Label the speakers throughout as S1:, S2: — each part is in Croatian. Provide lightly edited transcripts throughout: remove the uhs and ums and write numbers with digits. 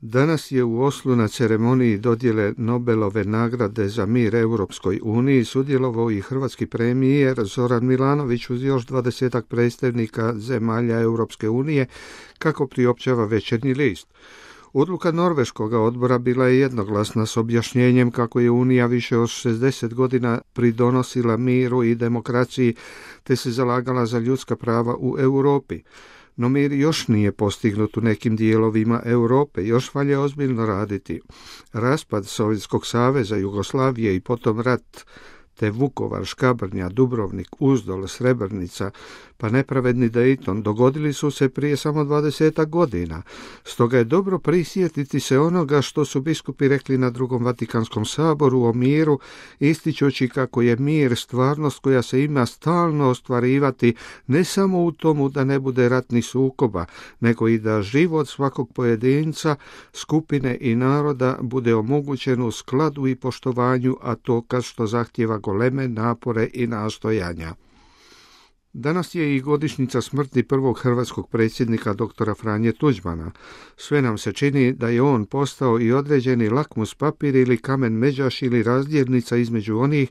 S1: Danas je u Oslu na ceremoniji dodjele Nobelove nagrade za mir Europskoj uniji sudjelovao i hrvatski premijer Zoran Milanović uz još 20 predstavnika zemalja Europske unije, kako priopćava Večernji list. Odluka norveškog odbora bila je jednoglasna s objašnjenjem kako je Unija više od 60 godina pridonosila miru i demokraciji te se zalagala za ljudska prava u Europi. No mir još nije postignut u nekim dijelovima Europe, još valja ozbiljno raditi. Raspad Sovjetskog saveza, Jugoslavije i potom rat, te Vukovar, Škabrnja, Dubrovnik, Uzdol, Srebrenica, pa nepravedni Dayton dogodili su se prije samo 20 godina. Stoga je dobro prisjetiti se onoga što su biskupi rekli na Drugom Vatikanskom saboru o miru, ističući kako je mir stvarnost koja se ima stalno ostvarivati ne samo u tomu da ne bude ratnih sukoba, nego i da život svakog pojedinca, skupine i naroda bude omogućen u skladu i poštovanju, a to kad što zahtjeva goleme napore i nastojanja. Danas je i godišnjica smrti prvog hrvatskog predsjednika dr. Franje Tuđmana. Sve nam se čini da je on postao i određeni lakmus papir ili kamen međaš ili razdjelnica između onih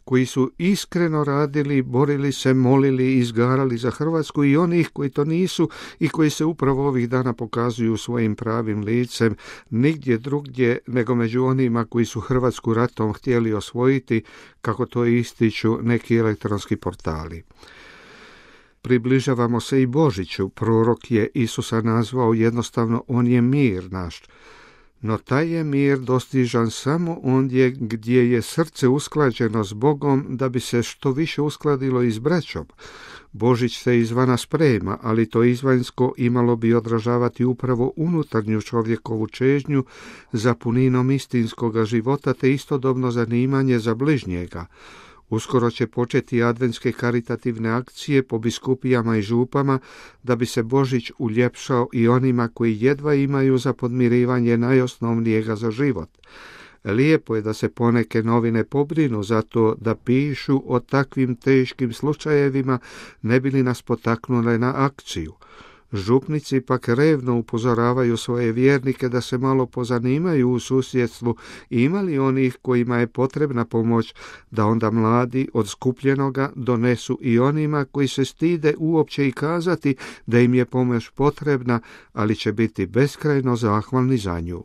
S1: koji su iskreno radili, borili se, molili i izgarali za Hrvatsku i onih koji to nisu i koji se upravo ovih dana pokazuju svojim pravim licem nigdje drugdje nego među onima koji su Hrvatsku ratom htjeli osvojiti, kako to ističu neki elektronski portali. Približavamo se i Božiću. Prorok je Isusa nazvao jednostavno on je mir naš. No taj je mir dostižan samo ondje gdje je srce usklađeno s Bogom da bi se što više uskladilo i s braćom. Božić se izvana sprema, ali to izvanjsko imalo bi odražavati upravo unutarnju čovjekovu čežnju za puninom istinskoga života te istodobno zanimanje za bližnjega. Uskoro će početi adventske karitativne akcije po biskupijama i župama da bi se Božić uljepšao i onima koji jedva imaju za podmirivanje najosnovnijega za život. Lijepo je da se poneke novine pobrinu za to da pišu o takvim teškim slučajevima, ne bi li nas potaknule na akciju. Župnici pak revno upozoravaju svoje vjernike da se malo pozanimaju u susjedstvu, ima li onih kojima je potrebna pomoć, da onda mladi od skupljenoga donesu i onima koji se stide uopće i kazati da im je pomoć potrebna, ali će biti beskrajno zahvalni za nju.